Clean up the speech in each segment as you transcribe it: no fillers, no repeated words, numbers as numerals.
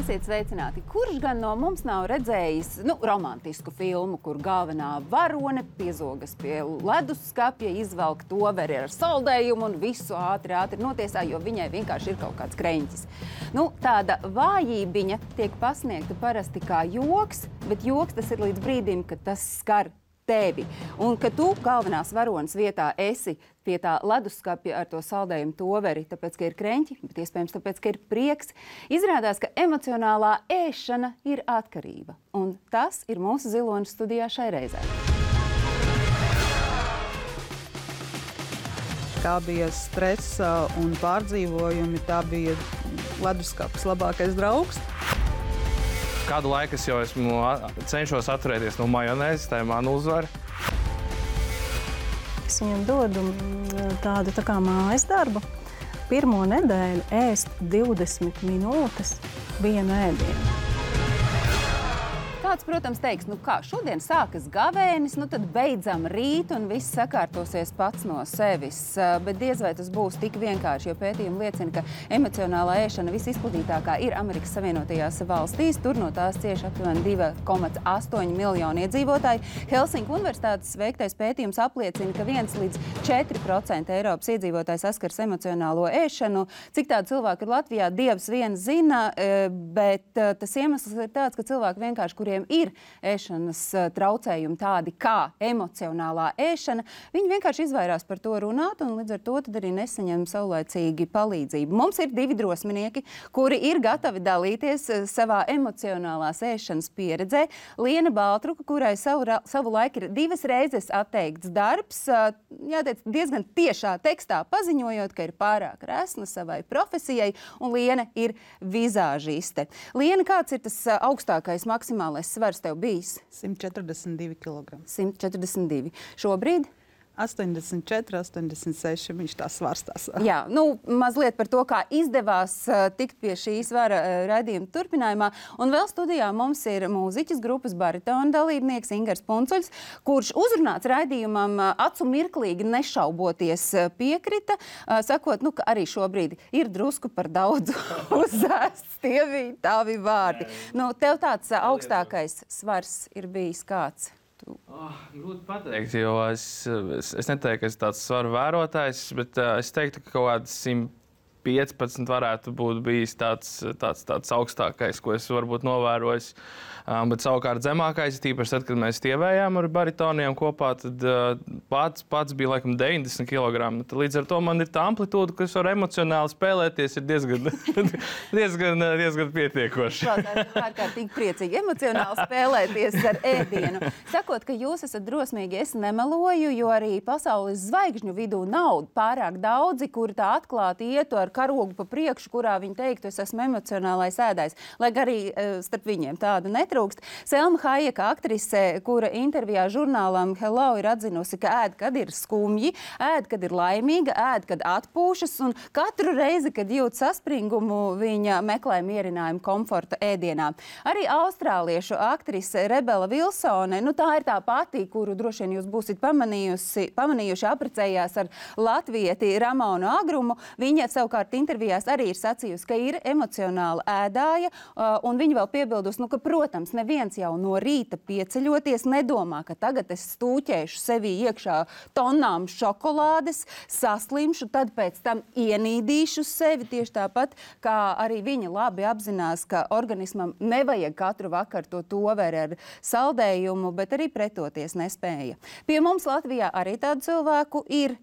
Esiet sveicināti. Kurš gan no mums nav redzējis romantisku filmu, kur galvenā varone piezogas pie leduskapja, izvelk toveri ar saldējumu un visu ātri notiesā, jo viņai vienkārši ir kaut kāds kreņķis. Tāda vājībiņa tiek pasniegta parasti kā joks, bet joks tas ir līdz brīdim, kad tas skar tevi. Un ka tu galvenās varonas vietā esi pie tā leduskapja ar to saldējumu toveri, tāpēc, ka ir kreņķi, bet iespējams tāpēc, ka ir prieks, izrādās, ka emocionālā ēšana ir atkarība. Un tas ir mūsu Ziloņas studijā šai reizē. Kā bija stresa un pārdzīvojumi, tā bija leduskapis labākais draugs. Kādu laiku es jau cenšos atturēties no majonēzes, tā ir mana uzvara. Es viņam dodu tādu tā kā mājas darbu. Pirmo nedēļu ēst 20 minūtes vienu ēdienu. Kāds, protams, teiks, šodien sākas gavēnis, tad beidzam rīt un viss sakārtosies pats no sevis. Bet diez vai tas būs tik vienkārši, jo pētījumi liecina, ka emocionālā ēšana visizplatītākā ir Amerikas Savienotajās valstīs. Tur no tās cieši aptuveni 2,8 miljoni iedzīvotāji. Helsinku universitātes veiktais pētījums apliecina, ka 1 līdz 4% Eiropas iedzīvotāji saskars emocionālo ēšanu. Cik tādu cilvēku ir Latvijā, Dievs viens zina, bet tas iemesls ir tāds, ka cilvēki vienkārši, kuriem ir ēšanas traucējumi tādi kā emocionālā ēšana, viņi vienkārši izvairās par to runāt un līdz ar to tad arī nesaņem saulaicīgi palīdzību. Mums ir 2 drosminieki, kuri ir gatavi dalīties savā emocionālās ēšanas pieredzē. Liena Baltruka, kurai savu laiku ir 2 reizes atteikts darbs, jāteic, diezgan tiešā tekstā paziņojot, ka ir pārāk resna savai profesijai, un Liena ir vizāžiste. Liena, kāds ir tas augstākais maksimālais svars tev bijis? 142 kg. 142. Šobrīd? 84, 86, viņš tā svārstās. Jā, mazliet par to, kā izdevās tikt pie šī svara raidījuma turpinājumā. Un vēl studijā mums ir mūziķis grupas baritona dalībnieks Ingars Puncuļs, kurš uzrunāts raidījumam acu mirklīgi nešauboties piekrita, sakot, ka arī šobrīd ir drusku par daudz uzēsts. Tie bija tavi vārdi. Tev tāds augstākais svars ir bijis kāds? Grūti pateikt, jo es neteiktu, ka es tāds svaru vērotājs, bet es teiktu, ka kaut kāds 115 varētu būt bijis tāds augstākais, ko es varbūt novērojis. Bet savukārt zemākais, tīpaši tad, kad mēs tievējām ar baritoniem kopā, tad pats bija laikam 90 kg. Līdz ar to man ir tā amplitūda, kas var emocionāli spēlēties, ir diezgan pietiekoši. Ārkārtīgi priecīgi emocionāli spēlēties ar ēdienu. Sakot, ka jūs esat drosmīgi, es nemeloju, jo arī pasaules zvaigžņu vidū nav pārāk daudzi, kuri tā atklāti ietu ar karogu pa priekšu, kurā viņi teiktu, es esmu emocionālais ēdājs. Lai arī starp viņiem tādu netrūkst. Selma Hajeka, aktrise, kura intervijā žurnālam Hello ir atzinusi, ka ēd, kad ir skumji, ēd, kad ir laimīga, ēd, kad atpūšas, un katru reizi, kad jūt saspringumu, viņa meklē mierinājumu komforta ēdienā. Arī austrāliešu aktrise Rebela Vilsone, tā ir tā pati, kuru droši vien jūs būsit pamanījuši, apprecējās ar latvieti Ramonu Agrumu. Viņa savukārt intervijās arī ir sacījusi, ka ir emocionāla ēdāja, un viņa vēl piebildusi, ka, protams, neviens jau no rīta pieceļoties nedomā, ka tagad es stūķēšu sevī iekšā tonnām šokolādes, saslimšu, tad pēc tam ienīdīšu sevi tieši tāpat, kā arī viņa labi apzinās, ka organismam nevajag katru vakaru to toveri ar saldējumu, bet arī pretoties nespēja. Pie mums Latvijā arī tādu cilvēku ir.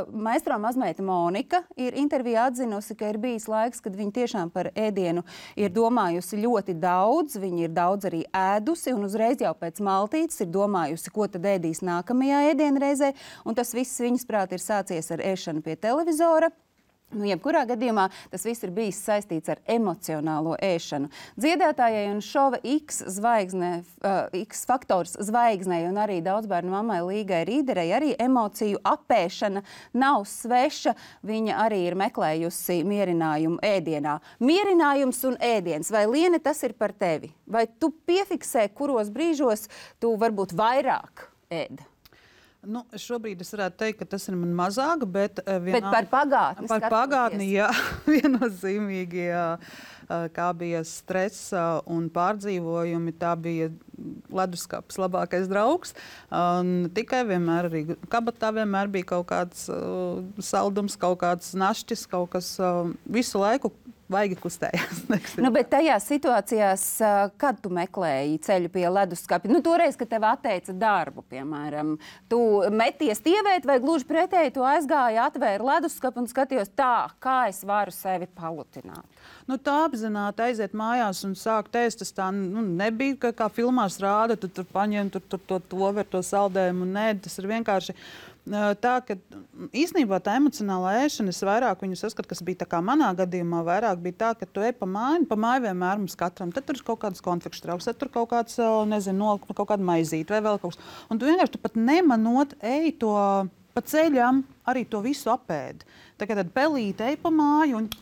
Maistro mazmeita Monika ir intervijā atzinusi, ka ir bijis laiks, kad viņa tiešām par ēdienu ir domājusi ļoti daudz, viņa ir daudz arī ēdusi un uzreiz jau pēc maltītes ir domājusi, ko tad ēdīs nākamajā ēdienreizē, un tas viss viņas prāt ir sācies ar ēšanu pie televizora. Jebkurā gadījumā tas viss ir bijis saistīts ar emocionālo ēšanu. Dziedātājai un šova X faktors zvaigznei un arī daudzbērnu mammai Līgai Rīderei arī emociju apēšana nav sveša. Viņa arī ir meklējusi mierinājumu ēdienā. Mierinājums un ēdiens. Vai, Liene, tas ir par tevi? Vai tu piefiksē, kuros brīžos tu varbūt vairāk ēd? Nu, šobrīd es varētu teikt, ka tas ir man mazāk, bet par pagātni. Par pagātni, jā, viennozīmīgi, kā bija stress un pārdzīvojumi, tā bija leduskapis labākais draugs. Tikai vienmēr arī kabatā vienmēr bija kaut kāds saldums, kaut kāds našķis, kaut kas visu laiku. Vaigi kustējās. Nu, bet tajās situācijās, kad tu meklēji ceļu pie leduskapja, toreiz, kad tev atteica darbu, piemēram, tu meties tievēt vai gluži pretēji, tu aizgāji, atvēri leduskapu un skatījos tā, kā es varu sevi palutināt? Tā apzināti aiziet mājās un sākt ēst, tas tā nebija, kā filmās rāda, tu tur paņem to ver to saldējumu, nē, tas ir vienkārši tā, ka īstenībā tā emocionālā ēšana, es vairāk viņu saskatu, kas bija tā kā manā gadījumā, vairāk bija tā, ka tu ej pa māju vienmēr mums katram, tad tur ir kaut kādas konfekšu trauks, tad tur kaut kāds, kaut kāda maizīte vai vēl kaut kas. Un tu vienkārši pat nemanot ej to pa ceļam, arī to visu apēd. Tad pelīte ej pa māju un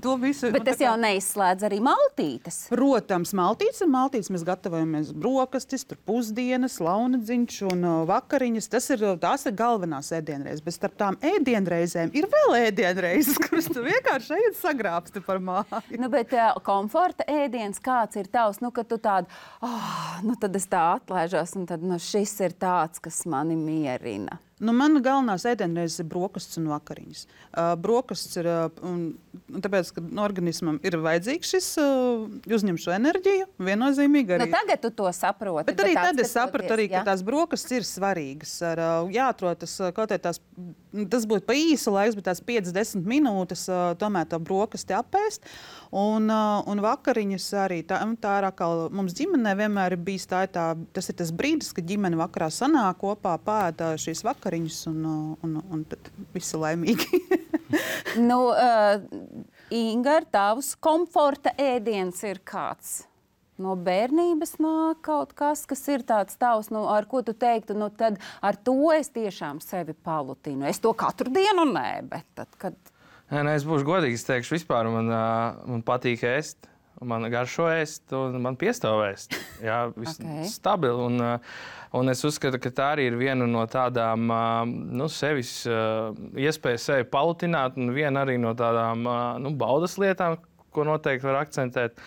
to visu. Bet tas jau neizslēdz arī maltītes. Protams, maltītes ir maltītes. Mēs gatavojamies brokastis, tur pusdienas, launadziņš un vakariņas. Tās ir galvenās ēdienreizes. Bet starp tām ēdienreizēm ir vēl ēdienreizes, kuras tu vienkārši ejat sagrābsti par māju. Bet komforta ēdiens kāds ir tavs? Kad tu tādu, tad es tā atlaižos un tad šis ir tāds, kas mani mierina. Mana galvenās ēdienreizes ir brokastis un vakariņas. Brokastis ir, tāpēc, ka organismam ir vajadzīgs šis, uzņem šo enerģiju, viennozīmīgi arī. Tagad tu to saproti. Bet arī tad es sapratu arī, ka tās brokastis ir svarīgas. Jāatrod tas, kaut kā tas būtu pa īsu laiks, bet tās 5-10 minūtes tomēr to brokasti apēst. Un vakariņas arī. Tā ir atkal, mums ģimenē vienmēr ir bijis tas ir tas brīdis, kad ģimene vakarā sanāk kopā, pēta šīs vakariņas un tad visi laimīgi. Ingar, tavs komforta ēdiens ir kāds? No bērnības nāk kaut kas ir tāds tavs, ar ko tu teiktu, tad ar to es tiešām sevi palutinu. Es to katru dienu nē, bet tad, kad... Nē, es būšu godīgs, es teikšu, vispār man patīk ēst, man garšo ēst, un man piestāv ēst. Jā, stabili. Un es uzskatu, ka tā arī ir viena no tādām sevis iespējas sevi palutināt, un viena arī no tādām baudas lietām, ko noteikti var akcentēt.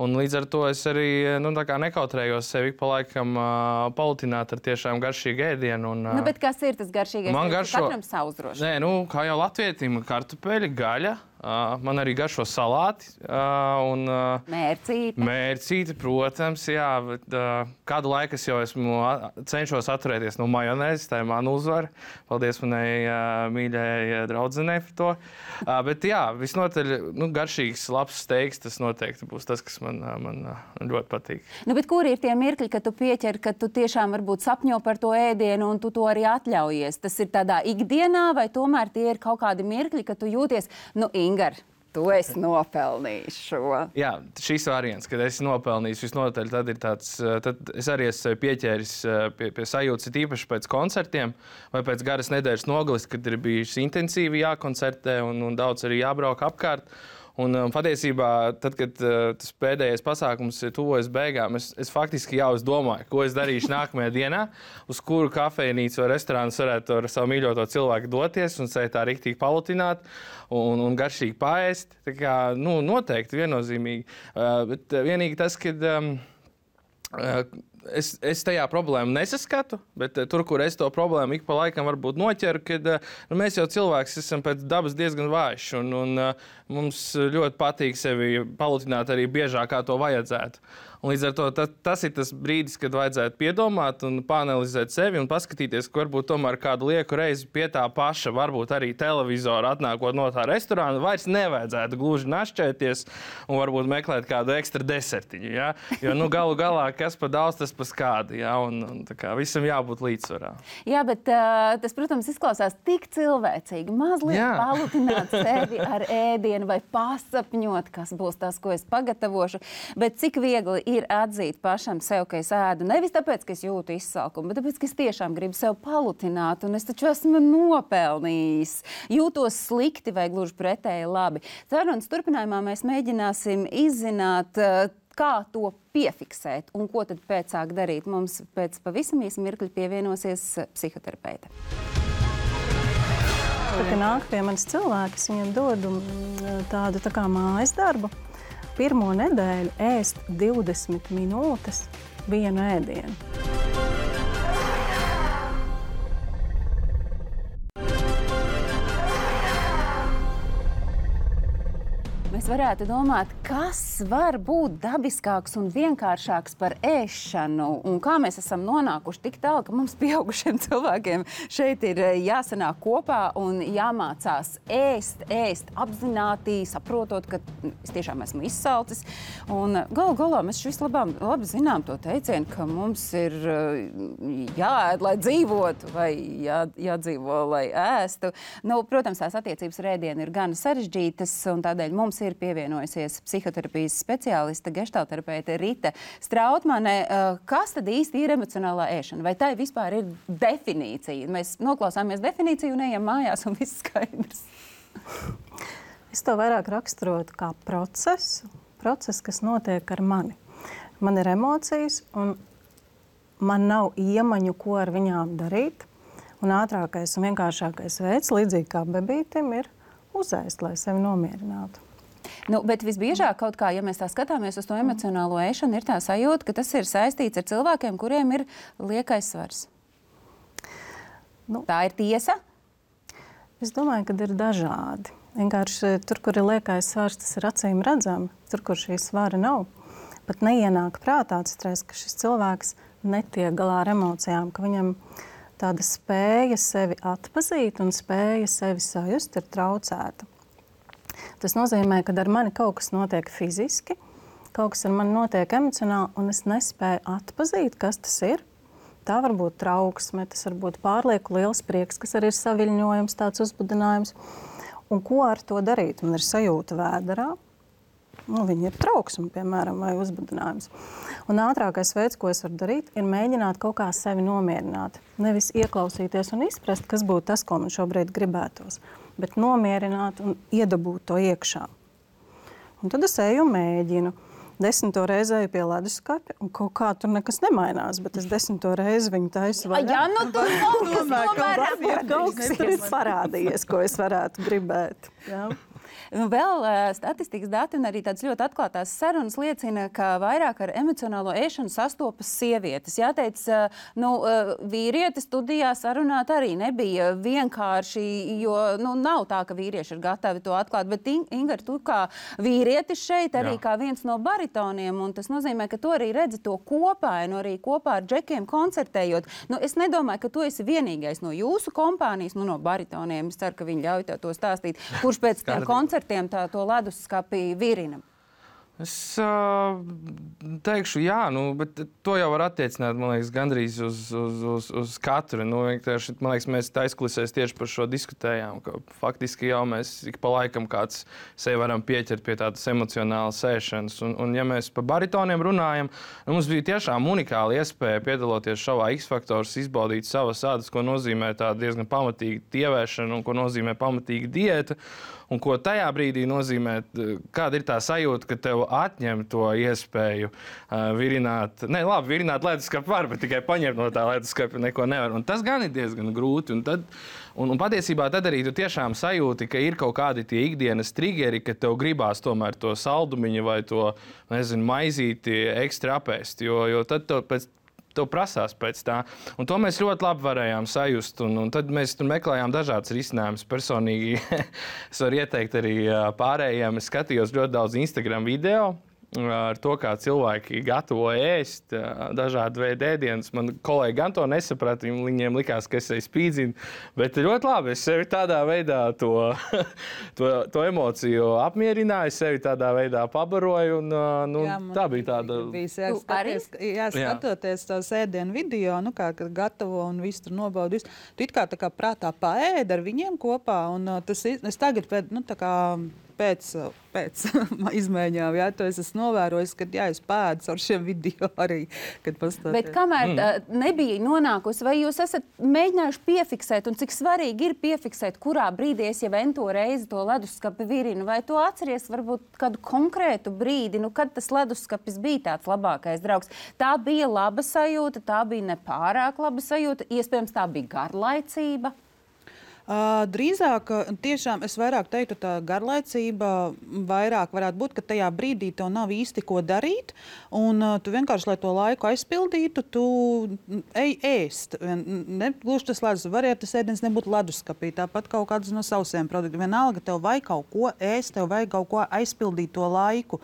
Un līdz ar to es arī nekautrējos sevi pa laikam palutināt ar tiešām garšīgu ēdienu. Bet kas ir tas garšīgais? Man garšo... Katram savu droši. Nē, kā jau latvietim, kartupeļi, gaļa. Man arī garšo salāti. Mērcīti, protams, jā. Bet, kādu laiku es jau cenšos atturēties no majonēzes, tā ir mana uzvara. Paldies manai mīļai draudzenei par to. Bet jā, visnotaļ garšīgs, labs steiks, tas noteikti būs tas, kas man ļoti patīk. Bet kur ir tie mirkļi, kad tu pieķer, ka tu tiešām varbūt sapņo par to ēdienu un tu to arī atļaujies? Tas ir tādā ikdienā vai tomēr tie ir kaut kādi mirkļi, kad tu jūties, Ingar, tu esi nopelnījis šo. Jā, šis variants, kad esi nopelnījis visnotaļ, tad ir tāds, tad es arī esmu pieķēris pie sajūtas, īpaši pēc koncertiem vai pēc garas nedēļas nogalis, kad ir bijuši intensīvi jākoncertē un daudz arī jābrauk apkārt. Un patiesībā, tad, kad tas pēdējais pasākums tuvojas beigām, es faktiski jau domāju, ko es darīšu nākamajā dienā, uz kuru kafejnīcu vai restorānu varētu ar savu mīļoto cilvēku doties un sevi tā riktīgi palutināt un garšīgi paēst. Tā kā, noteikti, viennozīmīgi. Bet vienīgi tas, kad es tajā problēmu nesaskatu, bet tur, kur es to problēmu ik pa laikam varbūt noķeru, kad mēs jau cilvēks esam pēc dabas diezgan vājš un mums ļoti patīk sevi palutināt arī biežāk, kā to vajadzētu. Un līdz ar to tas ir tas brīdis, kad vajadzētu piedomāt un pāanalizēt sevi un paskatīties, ka varbūt tomēr kādu lieku reizi pie tā paša, varbūt arī televizoru atnākot no tā restorāna, vairs nevajadzētu gluži našķēties un varbūt meklēt kādu ekstra desertiņu. Ja? Jo galu galā, kas pa daudz, tas pa skādi. Ja? Un tā kā visam jābūt līdzsvarā. Jā, bet tas, protams, izklausās tik cilvēcīgi. Mazliet palutināt sevi ar ēdienu vai pasapņot, kas būs tas, ko es pagatavošu. Bet cik viegli ir atzīt pašam sev, ka es ēdu nevis tāpēc, ka es jūtu izsalkumu, bet tāpēc, ka es tiešām gribu sev palutināt, un es taču esmu nopelnījis. Jūtos slikti vai gluži pretēji labi. Sarunas turpinājumā mēs mēģināsim izzināt, kā to piefiksēt un ko tad pēc sāk darīt. Mums pēc pavisam īsa mirkļa pievienosies psihoterapeite. Kad nāk pie manis cilvēki, es viņam dodu tādu tā kā mājas darbu. Pirmo nedēļu ēst 20 minūtes vienu ēdienu. Mēs varētu domāt, kas var būt dabiskāks un vienkāršāks par ēšanu, un kā mēs esam nonākuši tik tālu, ka mums pieaugušiem cilvēkiem šeit ir jāsanāk kopā un jāmācās ēst apzināti, saprotot, ka es tiešām esmu izsalcis. Un galu galā mēs visu labi zinām to teicienu, ka mums ir jāēd, lai dzīvotu, vai jādzīvo, lai ēstu. Nu, protams, tās attiecības ar ēdienu ir gan sarežģītas, un tādēļ mums ir pievienojusies psihoterapijas speciāliste, geštalterapeite Rita Strautmane. Kas tad īsti ir emocionālā ēšana? Vai tai vispār ir definīcija? Mēs noklausāmies definīciju un ejam mājās un viss skaidrs. Es to vairāk raksturotu kā procesu, kas notiek ar mani. Man ir emocijas un man nav iemaņu, ko ar viņām darīt. Un ātrākais un vienkāršākais veids, līdzīgi kā bebītim, ir uzēst, lai sevi nomierinātu. Nu, bet visbiežāk kaut kā, ja mēs tā skatāmies uz to emocionālo ēšanu, ir tā sajūta, ka tas ir saistīts ar cilvēkiem, kuriem ir liekais svars. Tā ir tiesa? Es domāju, ka ir dažādi. Vienkārši tur, kur ir liekais svars, tas ir acīm redzami. Tur, kur šī svara nav, pat neienāk prātā atcerēs, ka šis cilvēks netiek galā ar emocijām, ka viņam tāda spēja sevi atpazīt un spēja sevi sajust ir traucēta. Tas nozīmē, ka ar mani kaut kas notiek fiziski, kaut kas ar mani notiek emocionāli, un es nespēju atpazīt, kas tas ir. Tā var būt trauksme, tas var būt pārlieku liels prieks, kas arī ir saviļņojums, tāds uzbudinājums. Un ko ar to darīt? Man ir sajūta vēderā. Viņa ir trauksme, piemēram, vai uzbudinājums. Un ātrākais veids, ko es varu darīt, ir mēģināt kaut kā sevi nomierināt. Nevis ieklausīties un izprast, kas būtu tas, ko man šobrīd gribētos, bet nomierināt un iedabūt to iekšā. Un tad es eju un mēģinu. 10. reizi eju pie leduskapja, un kaut kā tur nekas nemainās, bet es 10. reizi viņu taisu vaļā. Jā, nu tur kaut kas tur ir parādījies, ko es varētu gribēt. Jā. Vēl statistikas dati un arī tādas ļoti atklātās sarunas liecina, ka vairāk ar emocionālo ēšanu sastopas sievietes. Jāteic, vīrieti studijā sarunāt arī nebija vienkārši, jo nav tā, ka vīrieši ir gatavi to atklāt. Bet, Ingar, tu kā vīrietis šeit arī kā viens no baritoniem, un tas nozīmē, ka tu arī redzi to kopainu, arī kopā ar džekiem koncertējot. Es nedomāju, ka tu esi vienīgais no jūsu kompānijas, no baritoniem. Es ceru, ka viņi ļauj tev to stāstīt. Kurš pēc tiem koncertiem to leduskapi virina? Es teikšu, jā, bet to jau var attiecināt, man liekas, gandrīz uz katru. Man liekas, mēs aizkulisēs tieši par šo diskutējām, ka faktiski jau mēs ik pa laikam kāds sevi varam pieķert pie tādas emocionālas ēšanas. Un ja mēs par baritoniem runājam, mums bija tiešām unikāla iespēja piedaloties šovā X-Faktors, izbaudīt savas ādas, ko nozīmē tā diezgan pamatīga tievēšana un ko nozīmē pamatīga diēta. Un ko tajā brīdī nozīmē, kāda ir tā sajūta, ka tev atņem to iespēju virināt. Virināt leduskapi var, bet tikai paņemt no tā leduskapa neko nevar. Un tas gan ir diezgan grūti. Un patiesībā tad arī tu tiešām sajūti, ka ir kaut kādi tie ikdienas triggeri, ka tev gribās tomēr to saldumiņu vai to, maizīti ekstra apēst. Jo tad tev prasās pēc tā. Un to mēs ļoti labi varējām sajust. Un tad mēs tur meklējām dažādas risinājumus. Personīgi es varu ieteikt arī pārējiem. Es skatījos ļoti daudz Instagram video ar to, kā cilvēki gatavo ēst dažādu veidu ēdienus. Man kolēģi gan to nesaprata, viņiem likās, ka es spīdzinu, bet ļoti labi, es sevi tādā veidā to emociju apmierināju, sevi tādā veidā pabaroju, un tā bija tāda... Skatoties tos ēdienu video, kad gatavo un visu tur nobaudi, tu it kā prātā paēd ar viņiem kopā, un es tagad pēc izmaiņām, jā, to es esmu novērojis, kad jā, es pēdu ar šiem video arī, kad pastāties. Bet kamēr nebija nonākusi, vai jūs esat mēģinājuši piefiksēt, un cik svarīgi ir piefiksēt, kurā brīdī es jau ento reizi to leduskapi virinu, vai tu atceries varbūt kādu konkrētu brīdi, kad tas leduskapis bija tāds labākais draugs? Tā bija laba sajūta, tā bija nepārāk laba sajūta, iespējams tā bija garlaicība. Drīzāk, tiešām es vairāk teiktu, tā garlaicība vairāk varētu būt, ka tajā brīdī tev nav īsti ko darīt, un tu vienkārši, lai to laiku aizpildītu, tu ej ēst. Gluži tas ledus, varētu tas ēdiens nebūt leduskapī, tāpat kaut kāds no sausiem produktiem. Vienalga, tev vajag kaut ko ēst, tev vajag kaut ko aizpildīt to laiku.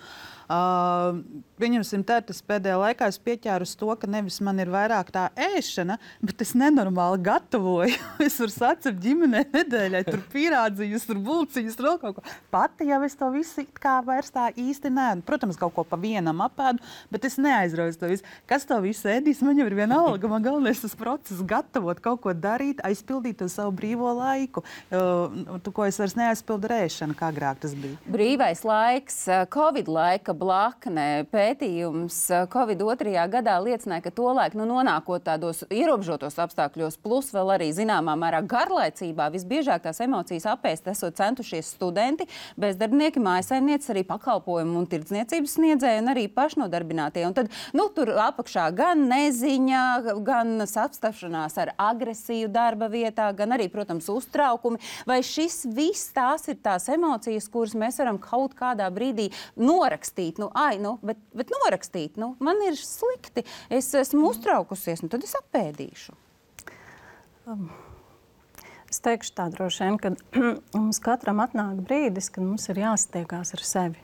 Pieņemsim tā, tas pēdējā laikā es pieķēru uz to, ka nevis man ir vairāk tā ēšana, bet es nenormāli gatavoju. Es varu sacept ģimenē nedēļai, tur pīrādziņus, tur bulciņus, tur vēl kaut ko. Pati jau es to visu kā vairs tā īsti neēdu. Protams, kaut ko pa vienam apēdu, bet es neaizrauju to visu. Kas to visu ēdīs, man jau ir vienalga. Man galvenais tas process gatavot, kaut ko darīt, aizpildīt to savu brīvo laiku. Ko es vairs neaizpildu ar ēšanu, kā agrāk tas bija. Brīvais laiks, Covid laika blakne, pētījums Covid 2. gadā liecināja, ka tolaik, nonākot tādos ierobežotos apstākļos, plus vēl arī zināmā mērā garlaicībā, visbiežāk tās emocijas apēst esot centušies studenti, bezdarbnieki, mājasaimnieces, arī pakalpojumu un tirdzniecības sniedzēji un arī pašnodarbinātie. Un tad, tur apakšā gan neziņa, gan sapstašanās ar agresiju darba vietā, gan arī, protams, uztraukumi. Vai šis viss tās ir tās emocijas, kuras mēs varam kaut kādā brīdī norakstīt? Bet norakstīt, man ir slikti, es esmu uztraukusies, tad es apēdīšu. Es teikšu tā droši vien, ka mums katram atnāk brīdis, kad mums ir jāsatiekās ar sevi.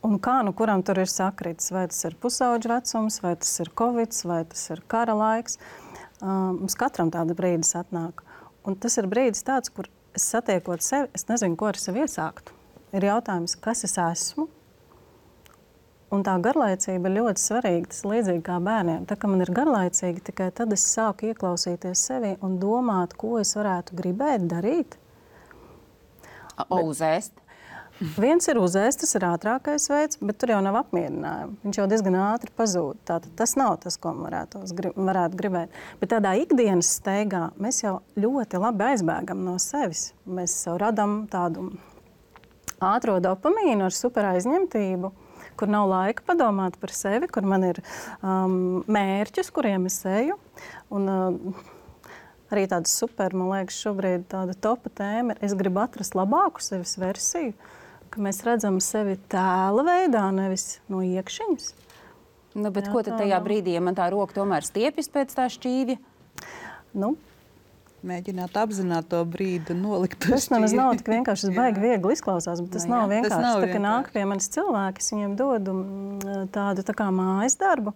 Un kā kuram tur ir sakritis, vai tas ir pusauģa vecums, vai tas ir Covid, vai tas ir kara laiks. Mums katram tāda brīdis atnāk. Un tas ir brīdis tāds, kur es satiekot sevi, es nezinu, ko ar sevi iesāktu. Ir jautājums, kas es esmu? Un tā garlaicība ir ļoti svarīga. Tas līdzīgi kā bērniem. Tā kā man ir garlaicīgi, tikai tad es sāku ieklausīties sevi un domāt, ko es varētu gribēt darīt. Uzēst. Viens ir uzēst, tas ir ātrākais veids, bet tur jau nav apmierinājuma. Viņš jau diezgan ātri pazūd. Tātad tas nav tas, ko varētu gribēt. Bet tādā ikdienas steigā mēs jau ļoti labi aizbēgam no sevis. Mēs jau radam tādu ātro dopamīnu ar super aizņemtību, kur nav laika padomāt par sevi, kur man ir mērķis, kuriem es eju. Un arī tāda super, man liekas, šobrīd tāda topa tēma ir, es gribu atrast labāku sevis versiju, ka mēs redzam sevi tēla veidā, nevis no iekšiņas. Bet ko tad tajā brīdī, ja man tā roka tomēr stiepjas pēc tā šķīvja? Mēģināt apzināt to brīdi, nolikt to šķīvi. Tas nemaz nav tik vienkārši, tas baigi viegli izklausās, bet tas nav vienkārši. Tas nav tā, ka nāk pie manis cilvēki, es viņiem dodu tādu tā kā mājas darbu.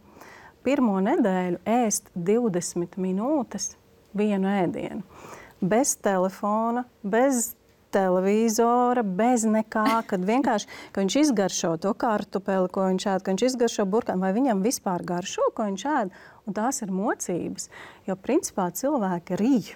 Pirmo nedēļu ēst 20 minūtes vienu ēdienu. Bez telefona, bez televizora, bez nekā, kad vienkārši, ka viņš izgaršo to kartupeli, ko viņš ēd, ka viņš izgaršo burkānu, vai viņam vispār garšo, ko viņš ēd, un tās ir mocības, jo principā cilvēki rīj.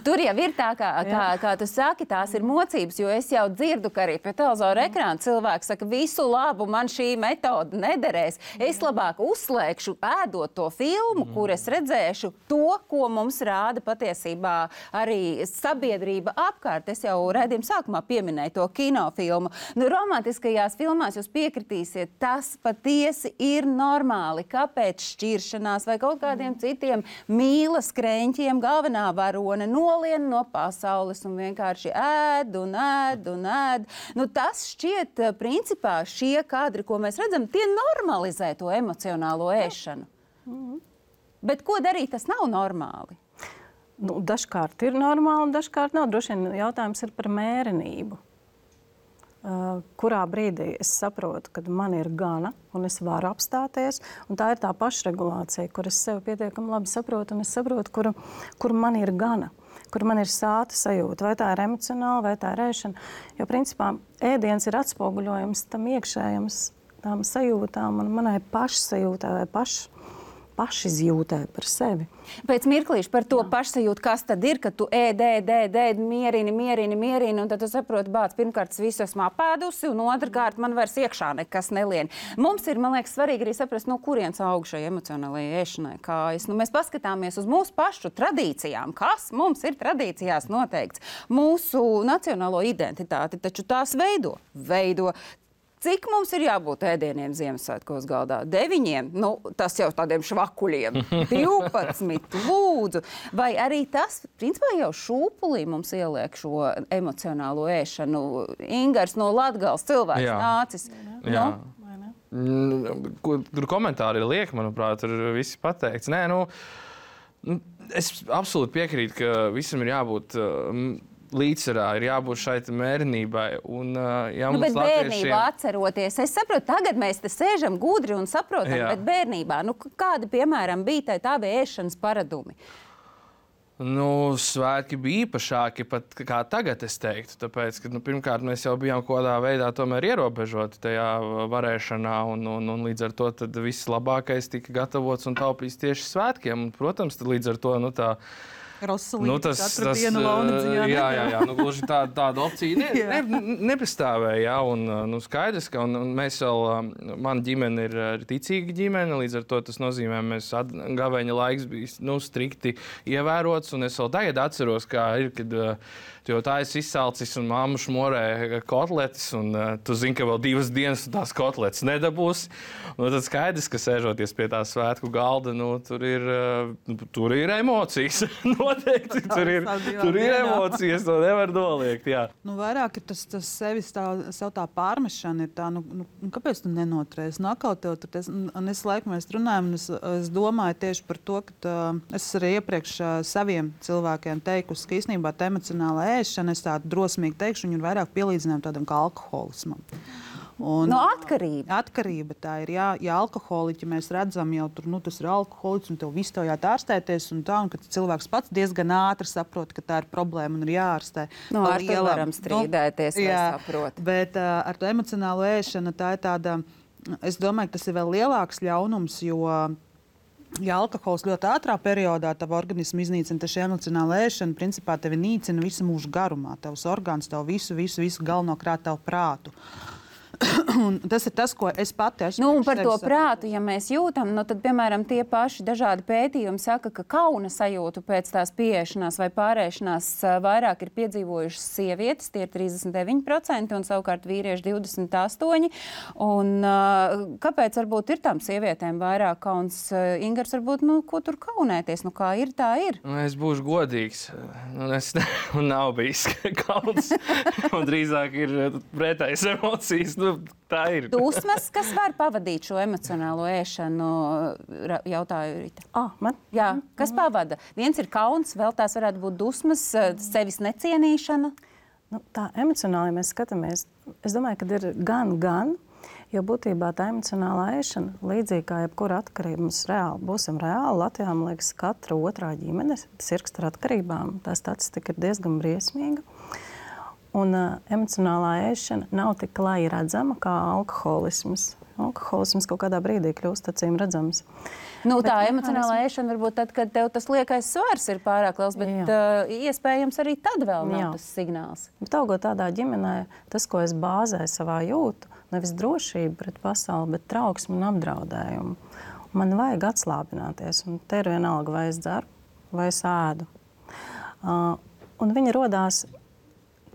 Tur jau ir tā, kā tu saki, tās ir mocības, jo es jau dzirdu, ka arī pie televizora ekrāna cilvēks saka, visu labu, man šī metode nederēs. Es labāk uzslēgšu, ēdot to filmu, kur es redzēšu to, ko mums rāda patiesībā arī sabiedrība apkārt. Es jau redzējumu sākumā pieminēju to kinofilmu. Romantiskajās filmās jūs piekritīsiet, tas patiesi ir normāli. Kāpēc šķiršanās vai kaut kādiem citiem mīlas kreņķiem galvenā varona nolien no pasaules un vienkārši ēd un ēd un ēd. Tas šķiet, principā, šie kadri, ko mēs redzam, tie normalizē to emocionālo ēšanu. Bet ko darīt, tas nav normāli? Dažkārt ir normāli, dažkārt nav. Droši vien jautājums ir par mērenību. Kurā brīdī es saprotu, kad man ir gana un es varu apstāties. Un tā ir tā pašregulācija, kur es sevi pietiekami labi saprotu un es saprotu, kur man ir gana, kur man ir sāta sajūta. Vai tā ir emocionāla, vai tā ir ēšana. Jo principā ēdiens ir atspoguļojums tam iekšējam, tām sajūtām un manai pašsajūtā vai pašizjūtē par sevi. Pēc mirklīša par to pašsajūtu, kas tad ir, kad tu mierini, un tad tu saproti, bāc, pirmkārt, es visu esmu apēdusi, un otrkārt, man vairs iekšā nekas nelien. Mums ir, man liekas, svarīgi arī saprast, no kurienes aug šai emocionālajai ēšanai kājas. Mēs paskatāmies uz mūsu pašu tradīcijām, kas mums ir tradīcijās noteikts. Mūsu nacionālo identitāti, taču tās veido. Cik mums ir jābūt ēdieniem Ziemassvētkos galdā? 9? Nu, tas jau tādiem švakuļiem. 12, lūdzu. Vai arī tas, principā, jau šūpulī mums ieliek šo emocionālo ēšanu? Ingars no Latgales cilvēks nācis. Jā. Tur komentāri ir lieki, manuprāt, tur viss pateikts. Nē, es absolūti piekrītu, ka visam ir jābūt līdzsvarā, ir jābūt šai mērenībai. Bet bērnībā atceroties, es saprotu, tagad mēs te sēžam gudri un saprotam, bet bērnībā, kādi, piemēram, bija tādi ēšanas paradumi? Svētki bija īpašāki pat kā tagad, es teiktu. Tāpēc, ka, pirmkārt, mēs jau bijām kaut kādā veidā tomēr ierobežoti tajā varēšanā, un līdz ar to tad viss labākais tika gatavots un taupīts tieši svētkiem. Un, protams, tad līdz ar to tas katru dienu Launadziņā. Jā, gluži tāda opcija nepastāvēja. Skaidrs, ka mēs vēl, mana ģimene ir ticīga ģimene, līdz ar to tas nozīmē, mēs gaveņa laiks bija strikti ievērots, un es vēl tagad atceros, kā ir, kad jo tā es izsalcis un mamma šmorē kotletes, un tu zini, ka vēl 2 dienas tās kotletes nedabūs. Tad skaidrs, ka sēžoties pie tā svētku galda, tur ir emocijas. Noteikti, tur ir emocijas, to nevar noliegt, jā. Vairāk ir tas sevis sev tā pārmešana ir tā, kāpēc tu nenoturēsi? Atkal tev tur, un es laikam mēs runājam, un es domāju tieši par to, ka es arī iepriekš saviem cilvēkiem teikusi, ka īstenībā tā emocionāla ēšana, es tādu drosmīgi teikšu, viņi ir vairāk pielīdzinājumi tādam kā alkoholismam. Atkarība. Atkarība tā ir, ja alkoholiķi mēs redzam jau tur, tas ir alkoholiķis un tev visu to jāārstēties un kad cilvēks pats diezgan ātri saprot, ka tā ir problēma un ir jāārstē. Ar to varam strīdēties, vai saprot. Bet ar to emocionālo ēšanu tā ir tāda, es domāju, ka tas ir vēl lielāks ļaunums, jo ja alkohols ļoti ātrā periodā tavu organismu iznīcina, tad šī emocionāla ēšana principā tevi nīcina visu mūžu garumā. Tavs orgāns, tev visu galvenokrāt tavu prātu. Un tas ir tas, ko es pati esmu. Un par to prātu, ja mēs jūtam, tad, piemēram, tie paši dažādi pētījumi saka, ka kauna sajūtu pēc tās pieešanās vai pārēšanās vairāk ir piedzīvojušas sievietes, tie ir 39%, un savukārt vīrieši 28%. Un kāpēc varbūt ir tām sievietēm vairāk kauns? Ingars, varbūt, ko tur kaunēties? Kā ir, tā ir. Es būšu godīgs. Man nav bijis kauns. Un drīzāk ir pretējas emocijas. Tā ir. Dusmas, kas var pavadīt šo emocionālo ēšanu, jautāju Rita. Man? Jā, kas pavada? Viens ir kauns, vēl tās varētu būt dusmas, sevis necienīšana. Tā emocionāli mēs skatāmies. Es domāju, ka ir gan, jo būtībā tā emocionālā ēšana, līdzīgi kā jebkura atkarība, mums būsim reāli. Latvijā, man liekas, katra otrā ģimene sirgst ar atkarībām. Tā statistika ir diezgan briesmīga. Un emocionālā ēšana nav tik klāji redzama kā alkoholisms. Alkoholisms kaut kādā brīdī kļūst acīm redzams. Tā emocionālā ēšana varbūt tad, kad tev tas liekais svars ir pārāk liels, bet iespējams arī tad vēl nav tas signāls. Bet augot tādā ģimenē, tas, ko es bāzēju savā jūtu, nevis drošību pret pasauli, bet trauksmu un apdraudējumu. Man vajag atslābināties, un te ir vienalga, vai es dzeru, vai es ēdu. Un viņi rodās.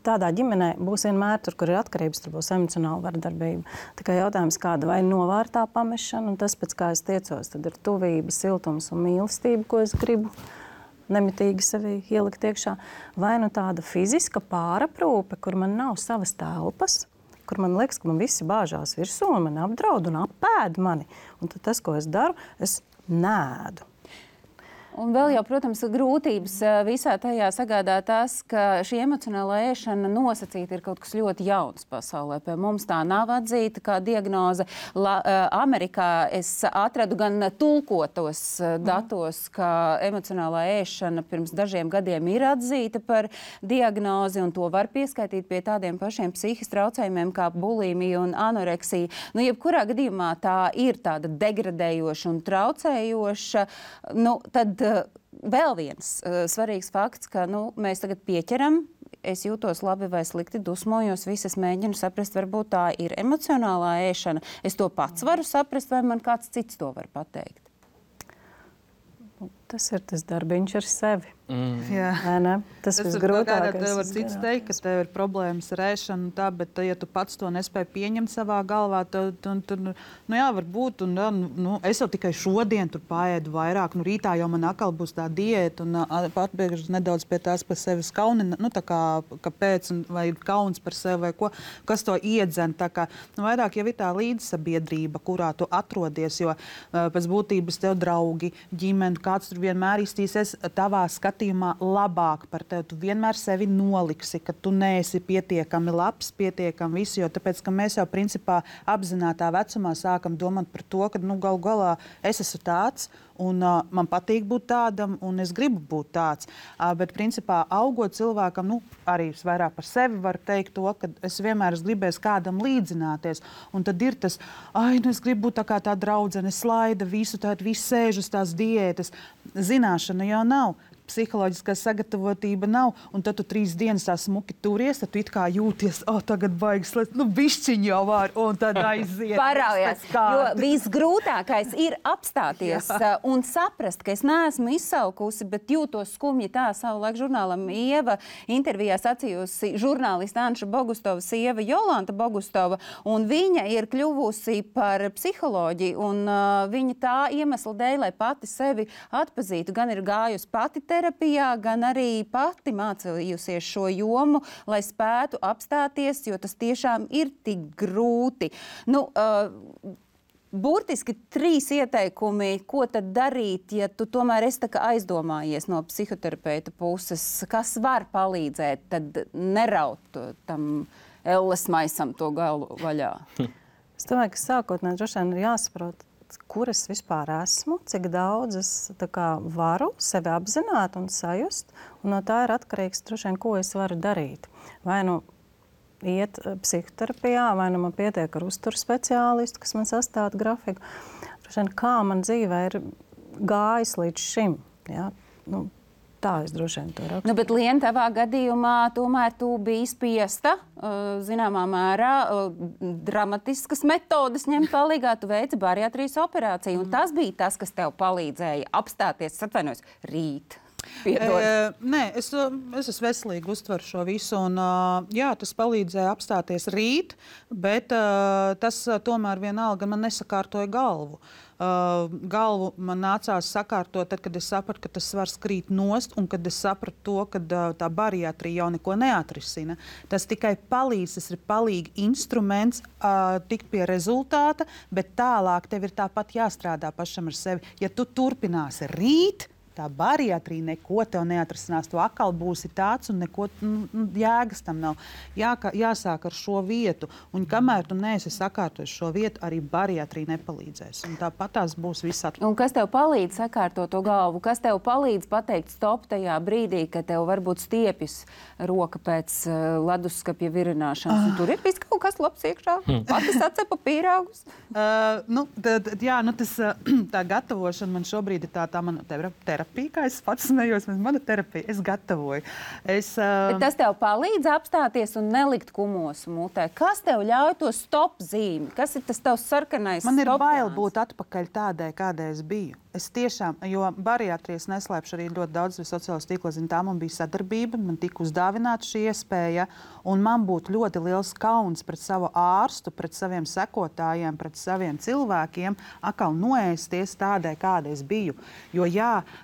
Tādā ģimenē būs vienmēr, tur, kur ir atkarības, tur būs emocionāla vardarbība. Tikai jautājums, kāda vai novārtā pamešana, un tas, pēc kā es tiecos, tad ir tuvība, siltums un mīlestība, ko es gribu nemitīgi sevi ielikt iekšā. Vai tāda fiziska pāraprūpe, kur man nav savas telpas, kur man liekas, ka man visi bāžās virsū, un man apdraud un apēd mani. Un tad tas, ko es daru, es nēdu. Un vēl jau, protams, grūtības visā tajā sagādā tas, ka šī emocionālā ēšana nosacīta ir kaut kas ļoti jauns pasaulē. Pie mums tā nav atzīta kā diagnoze. Amerikā es atradu gan tulkotos datos, ka emocionālā ēšana pirms dažiem gadiem ir atzīta par diagnozi, un to var pieskaitīt pie tādiem pašiem psihiskiem traucējumiem kā bulimija un anoreksija. Nu, jebkurā gadījumā tā ir tāda degradējoša un traucējoša. Nu, tad vēl viens svarīgs fakts, ka mēs tagad pieķeram, es jūtos labi vai slikti, dusmojos, visas mēģinu saprast, varbūt tā ir emocionālā ēšana. Es to pats varu saprast, vai man kāds cits to var pateikt? Tas ir tas darbiņš ar sevi. Jā. Tas ir grūtākais. Tev var cits teikt, ka tev ir problēmas ar ēšanu, bet ja tu pats to nespēji pieņemt savā galvā, tad varbūt. Es jau tikai šodien tur paēdu vairāk. Rītā jau man atkal būs tā diēta un atbēgšu nedaudz pie tās par sevi kauni. Kāpēc vai kauns par sevi vai ko, kas to iedzen. Vairāk jau ir tā līdzsabiedrība, kurā tu atrodies, jo pēc būtības tev draugi, ģimene, kāds tur vienmēr iztīsies tavā skatījumā labāk par tevi. Tu vienmēr sevi noliksi, ka tu neesi pietiekami labs, pietiekami visu, jo tāpēc, ka mēs jau principā apzinātā vecumā sākam domāt par to, ka galu galā es esmu tāds un man patīk būt tādam un es gribu būt tāds. Bet principā augot cilvēkam, arī es vairāk par sevi varu teikt to, ka es vienmēr gribēju kādam līdzināties. Un tad ir tas, es gribu būt tā kā tā draudzene, slaida visu, visu sēž uz tās diētas. Zināšana jau nav. Psiholoģiskā sagatavotība nav, un tad tu 3 dienas tā smuki turies, tad tu it kā jūties, tagad baigas, bišķiņ jau var, un tad aiziet. Paraujies, jo visgrūtākais ir apstāties un saprast, ka es neesmu izsalkusi, bet jūtos skumji. Tā savulaik žurnālam Ieva intervijā sacījusi žurnālista Anša Bogustova sieva Jolanta Bogustova, un viņa ir kļuvusi par psiholoģiju, un viņa tā iemesla dēļ, lai pati sevi atpazītu, gan ir gājusi pati terapijā, gan arī pati mācījusies šo jomu, lai spētu apstāties, jo tas tiešām ir tik grūti. Burtiski 3 ieteikumi, ko tad darīt, ja tu tomēr esi aizdomājies no psihoterapeita puses, kas var palīdzēt, tad neraut tam elles maisam to galu vaļā. Es domāju, ka sākotnēji droši vien ir jāsaprot, kur es vispār esmu, cik daudz es varu sevi apzināt un sajust, un no tā ir atkarīgs droši vien, ko es varu darīt. Vai iet psihoterapijā, vai man pietiek ar uzturu speciālistu, kas man sastāda grafiku. Droši vien, kā man dzīvē ir gājis līdz šim. Ja? Tā es droši vien to rakstu. Bet, Liena, tavā gadījumā tomēr tu biji spiesta, zināmā mērā, dramatiskas metodes ņemt palīgā. Tu veici bariatrijas operāciju, un tas bija tas, kas tev palīdzēja apstāties, atvainojos, rīt. Nē, es esmu veselīgi uztveru šo visu, un tas palīdzēja apstāties rīt, bet tas tomēr vienalga man nesakārtoja galvu. Galvu man nācās sakārtot, tad, kad es sapratu, ka tas svars krīt nost, un kad es sapratu to, ka tā bariatrija jau neko neatrisina. Tas tikai palīdz, tas ir palīgi instruments tikt pie rezultāta, bet tālāk tev ir tāpat jāstrādā pašam ar sevi. Ja tu turpināsi rīt, tā bariatrija neko tev neatrisinās. Tu atkal būsi tāds un neko jēgas tam nav. Jāsāk ar šo vietu. Un kamēr tu neesi sakārtojis šo vietu, arī bariatrija nepalīdzēs. Un tāpat tās būs viss atlikt. Un kas tev palīdz sakārtot to galvu? Kas tev palīdz pateikt stop tajā brīdī, kad tev varbūt stiepjas roka pēc leduskapja virināšanas? Un tur ir viss kaut kas labs iekšā. Pati sacepa pīrāgus. Tā gatavošana man šobrīd ir tā mana terapija, kā es pats smējos, mana terapija, es gatavoju. Bet tas tev palīdz apstāties un nelikt kumosu mutē. Kas tev ļauj to stop zīmi? Kas ir tas tavs sarkanais stop? Man ir bail būt atpakaļ tādai, kādai es biju. Es tiešām, jo bariatrijas neslēpšu arī ļoti daudz sociālos tīklos, tā man bija sadarbība, man tika uzdāvināta šī iespēja, un man būtu ļoti liels kauns pret savu ārstu, pret saviem sekotājiem, pret saviem cilvēkiem, atkal noēsties tādai, kādai es biju. Jo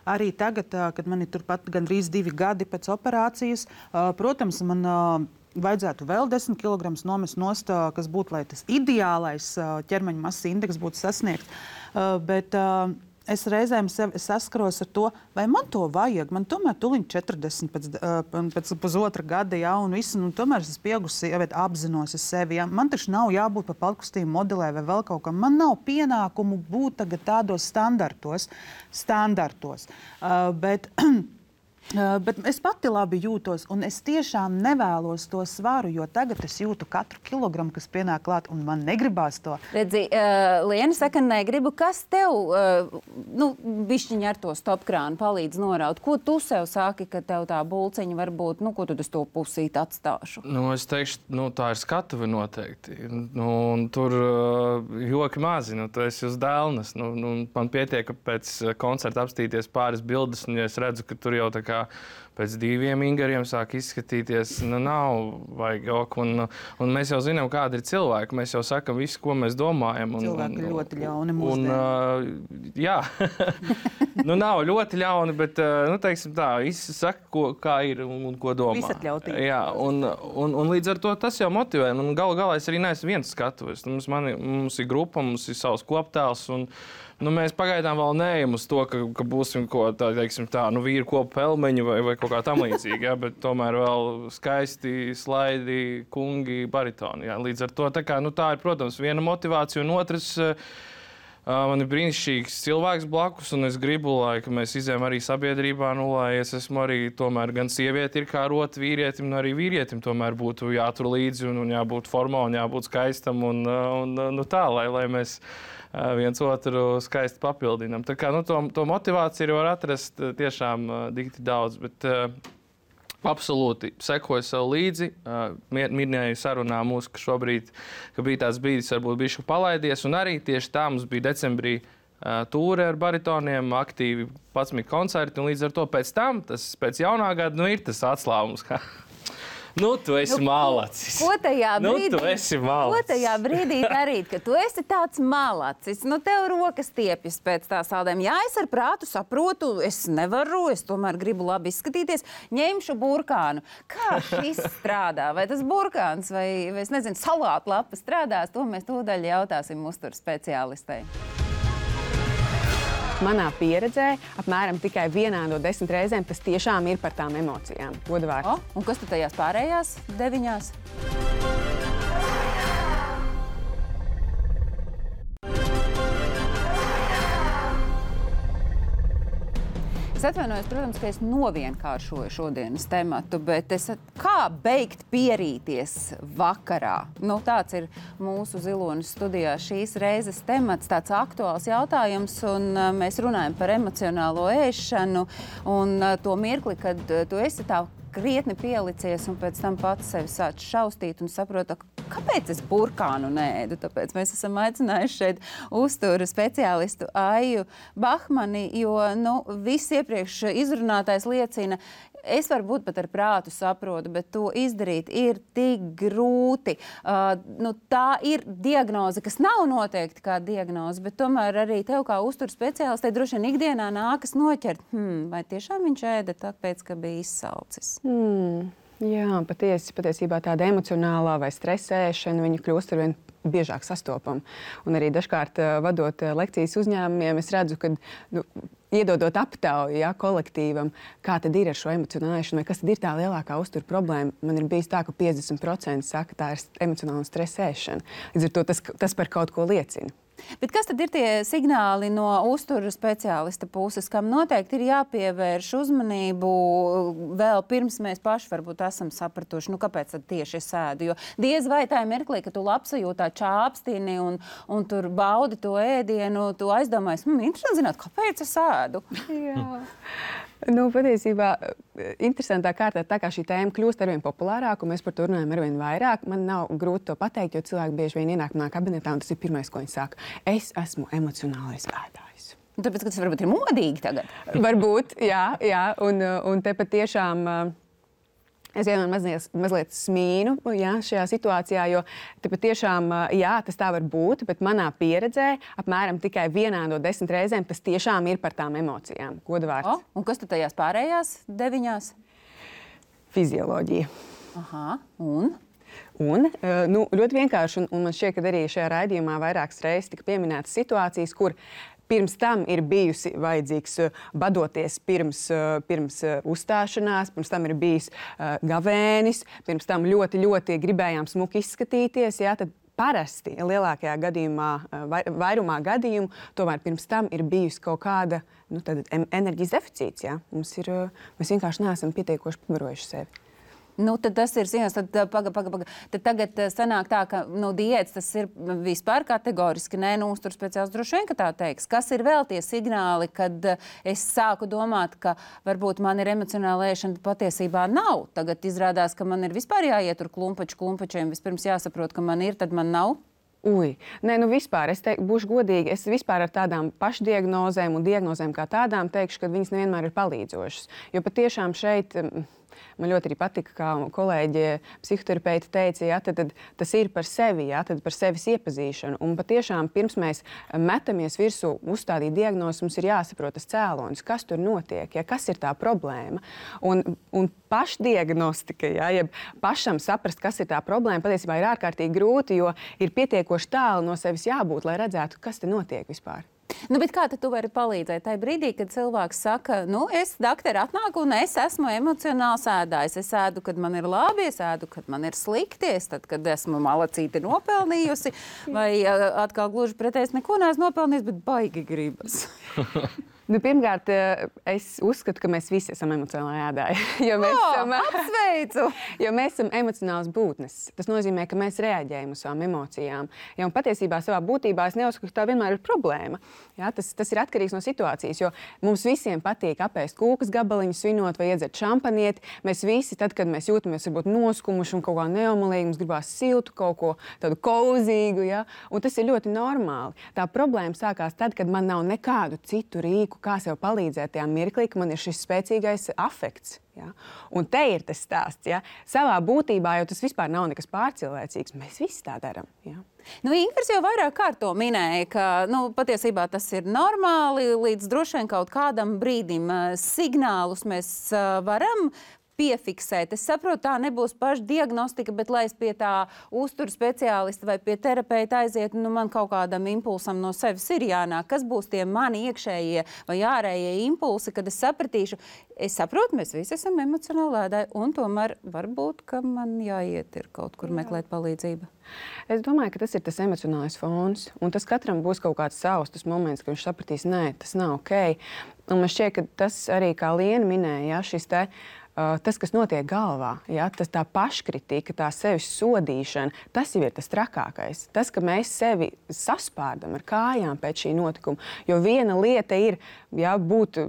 arī tagad, kad man ir turpat gandrīz 2 gadi pēc operācijas, protams, man vajadzētu vēl 10 kg nomest nost, kas būtu, lai tas ideālais ķermeņa masas indeks būtu sasniegts. Bet es reizēm sevi saskaros ar to, vai man to vajag. Man tomēr tuliņ 40 pēc pusotra gada, ja, un visu, un tomēr es pieaugusi, ja, apzinos sevi. Ja. Man taču nav jābūt pa palkustību modelē vai vēl kaut kam. Man nav pienākumu būt tagad tādos standartos. Bet es pati labi jūtos, un es tiešām nevēlos to svaru, jo tagad es jūtu katru kilogramu, kas pienāk klāt, un man negribās to. Redzi, Liena saka, negribu. Kas tev, bišķiņi ar to stopkrānu palīdz noraut? Ko tu sev saki, ka tev tā bulciņa var būt, ko tad es to pusīt atstāšu? Es teikšu, tā ir skatuve noteikti. Un tur joki mazi, tu esi uz dēlnes. Man pietiek, ka pēc koncerta apstīties pāris bildes, un ja es redzu, ka tur jau tā kā pēc 2 ingariem sāk izskatīties, nav vajag joku. Un mēs jau zinām, kādi ir cilvēki. Mēs jau sakam visu, ko mēs domājam. Cilvēki ir ļoti ļauni mūsdienās. Jā, nav ļoti ļauni, bet, teiksim tā, visi saka, kā ir un ko domā. Visatļautīgi. Jā, un līdz ar to tas jau motivē. Galu galā es arī neesmu viens skatuves. Mums ir grupa, mums ir savs koptēls, un mēs pagaidām vēl neejam uz to, ka būsim vīru kopu pelmeņi vai kaut kā tam līdzīgi, ja, bet tomēr vēl skaisti slaidi, kungi, baritoni. Ja. Līdz ar to tā ir, protams, viena motivācija, un otrs, man ir brīnišķīgs cilvēks blakus, un es gribu, lai mēs izējam arī sabiedrībā, lai es esmu arī tomēr gan sievieti ir kā rota vīrietim, un arī vīrietim tomēr būtu jātur līdzi, un jābūt formā, un jābūt skaistam, un tā, lai mēs viens otru skaisti papildinām. Tā kā to motivāciju var atrast tiešām dikti daudz, bet absolūti sekoju sev līdzi. Minēju sarunā mūsu, ka bija tāds brīdis, varbūt bišķi palaidies, un arī tieši tā mums bija decembrī tūre ar baritoniem, aktīvi 11 koncerti, un līdz ar to pēc tam, pēc jaunā gada, ir tas atslābums. Tu esi malacis. Ko tajā brīdī, tu esi malacis. Ko tajā brīdī darīt, ka tu esi tāds malacis? Tev rokas tiepjas pēc tā saldējuma. Jā, es ar prātu saprotu, es nevaru, es tomēr gribu labi izskatīties. Ņemšu burkānu. Kā šis strādā? Vai tas burkāns vai es nezinu, salātlapa strādās? To mēs tūdaļ jautāsim uzturu speciālistei. Manā pieredzē apmēram tikai 1 no 10 reizēm tas tiešām ir par tām emocijām. Godvārds. Un kas tu tajās pārējās 9? Es atvainojos, protams, ka es novienkāršoju šodienas tematu, bet kā beigt pierīties vakarā? Tāds ir mūsu Ziloņas studijā šīs reizes temats, tāds aktuāls jautājums, un mēs runājam par emocionālo ēšanu un to mirkli, kad tu esi tā krietni pielicies un pēc tam pats sevi sāc šaustīt un saproti, kāpēc es burkānu neēdu. Tāpēc mēs esam aicinājuši šeit uzturu speciālistu Aiju Bahmani, jo viss iepriekš izrunātais liecina, es varbūt pat ar prātu saprotu, bet to izdarīt ir tik grūti. Tā ir diagnoze, kas nav noteikti kā diagnoze, bet tomēr arī tev kā uzturu speciālistei droši vien ikdienā nākas noķert. Vai tiešām viņš ēda tāpēc, ka bija izsalcis? Jā, patiesībā tāda emocionālā vai stresēšana, viņa kļūst arvien biežāk sastopama. Un arī dažkārt vadot lekcijas uzņēmumiem, es redzu, ka iedodot aptauju kolektīvam, kā tad ir ar šo emocionālēšanu, vai kas tad ir tā lielākā uzturu problēma. Man ir bijis tā, ka 50% saka, tā ir emocionāla stresēšana. Līdz ar to tas par kaut ko liecina. Bet kas tad ir tie signāli no uzturu speciālista puses, kam noteikti ir jāpievērš uzmanību vēl pirms mēs paši varbūt esam sapratuši, kāpēc tad tieši es ēdu? Jo diez vai tā ir mirklī, ka tu labsajūtā čāpstini un tur baudi to ēdienu, tu aizdomājies, interesanti zināt, kāpēc es ēdu? Jā. Patiesībā interesantā kārtā, tā kā šī tēma kļūst arvien populārāka, un mēs par to runājam arvien vairāk, man nav grūti to pateikt, jo cilvēki bieži vien ienāk manā kabinetā, un tas ir pirmais, ko viņi saka. Es esmu emocionālais ēdājs. Tāpēc, ka tas varbūt ir modīgi tagad? Varbūt, jā. Un te patiešām es vienmēr mazliet smīnu šajā situācijā, jo te patiešām, tas tā var būt, bet manā pieredzē apmēram tikai 1 no 10 reizēm tas tiešām ir par tām emocijām. Godvārds. Un kas tad tajās pārējās 9? Fizioloģija. Aha, un ļoti vienkārši, un man šķiet, ka arī šajā raidījumā vairākas reizes tika pieminētas situācijas, kur pirms tam ir bijusi vajadzīgs badoties pirms uzstāšanās, pirms tam ir bijis gavēnis, pirms tam ļoti, ļoti gribējām smuki izskatīties, jā, tad parasti lielākajā gadījumā, vairumā gadījumu, tomēr pirms tam ir bijusi kaut kāda enerģijas deficīts. Ja? Mēs vienkārši neesam pietiekoši pabarojuši sevi. Tad tas ir ziņas, tad tagad sanāk tā, ka diētas tas ir vispār kategoriski, uzturs speciāls droši vien, ka tā teiks. Kas ir vēl tie signāli, kad es sāku domāt, ka varbūt man ir emocionāla ēšana, patiesībā nav. Tagad izrādās, ka man ir vispār jāiet tur klumpačiem, vispirms jāsaprot, ka man ir, tad man nav. Nē, vispār, būšu godīga, es vispār ar tādām pašdiagnozēm un diagnozēm kā tādām teikšu, ka viņas nevienmēr ir palīdzošas. Jo patiešām šeit man ļoti arī patika, kā kolēģi psihoterapeiti teica, ja, tad tas ir par sevi, ja, tad par sevis iepazīšanu. Un patiešām pirms mēs metamies virsū uzstādīt diagnozi, mums ir jāsaprot tas cēlonis, kas tur notiek, ja, kas ir tā problēma. Un pašdiagnostika, ja, ja pašam saprast, kas ir tā problēma, patiesībā ir ārkārtīgi grūti, jo ir pietiekoši tālu no sevis jābūt, lai redzētu, kas te notiek vispār. Bet kā tad tu vari palīdzēt tajā brīdī, kad cilvēks saka, es dakteri atnāku un es esmu emocionāls ēdājs. Es ēdu, kad man ir labi, es ēdu, kad man ir slikti, tad, kad esmu malacīti nopelnījusi, vai atkal gluži pretēji neko neesmu nopelnījis, bet baigi gribas. Pirmkārt, es uzskatu, ka mēs visi esam emocionāli ēdāji. Apsveicu! Jo mēs esam emocionāls būtnes. Tas nozīmē, ka mēs reaģējam uz savām emocijām. Ja, un patiesībā savā būtībā es neuzskatu, ka tā vienmēr ir problēma. Ja, tas ir atkarīgs no situācijas, jo mums visiem patīk apēst kūkas gabaliņu, svinot vai iedzert šampanieti. Mēs visi, tad, kad mēs jūtamies varbūt noskumuši un kaut kā neomulīgi, mums gribās siltu, kaut ko tādu kozīgu. Ja? Un tas ir ļoti normāli. Tā problēma sākās tad, kad man nav nekādu citu rīku, kā sev palīdzēt tajā mirklī, ka man ir šis spēcīgais afekts. Ja? Un te ir tas stāsts. Ja? Savā būtībā jau tas vispār nav nekas pārcilvēcīgs. Mēs visi tā darām. Ja? Ingvars jau vairāk kārt to minēja, ka patiesībā tas ir normāli, līdz droši vien kaut kādam brīdim signālus mēs varam piefiksēt. Es saprotu, tā nebūs paša diagnostika, bet lai es pie tā uzturu speciālista vai pie terapeita aizietu, man kaut kādam impulsam no sevis ir jānāk. Kas būs tie mani iekšējie vai ārējie impulsi, kad es sapratīšu, es saprotu, mēs visi esam emocionāli ēdāji, un tomēr varbūt, ka man jāiet ir kaut kur meklēt palīdzību. Es domāju, ka tas ir tas emocionālais fons, un tas katram būs kaut kāds savs tas moments, ka viņš sapratīs, nē, tas nav ok. Un man šķiet, ka tas arī, kā Liena minēja, ja, tas, kas notiek galvā, ja, tas tā paškritika, tā sevis sodīšana, tas jau ir tas trakākais. Tas, ka mēs sevi saspārdam ar kājām pēc šī notikuma. Jo viena lieta ir, ja, būt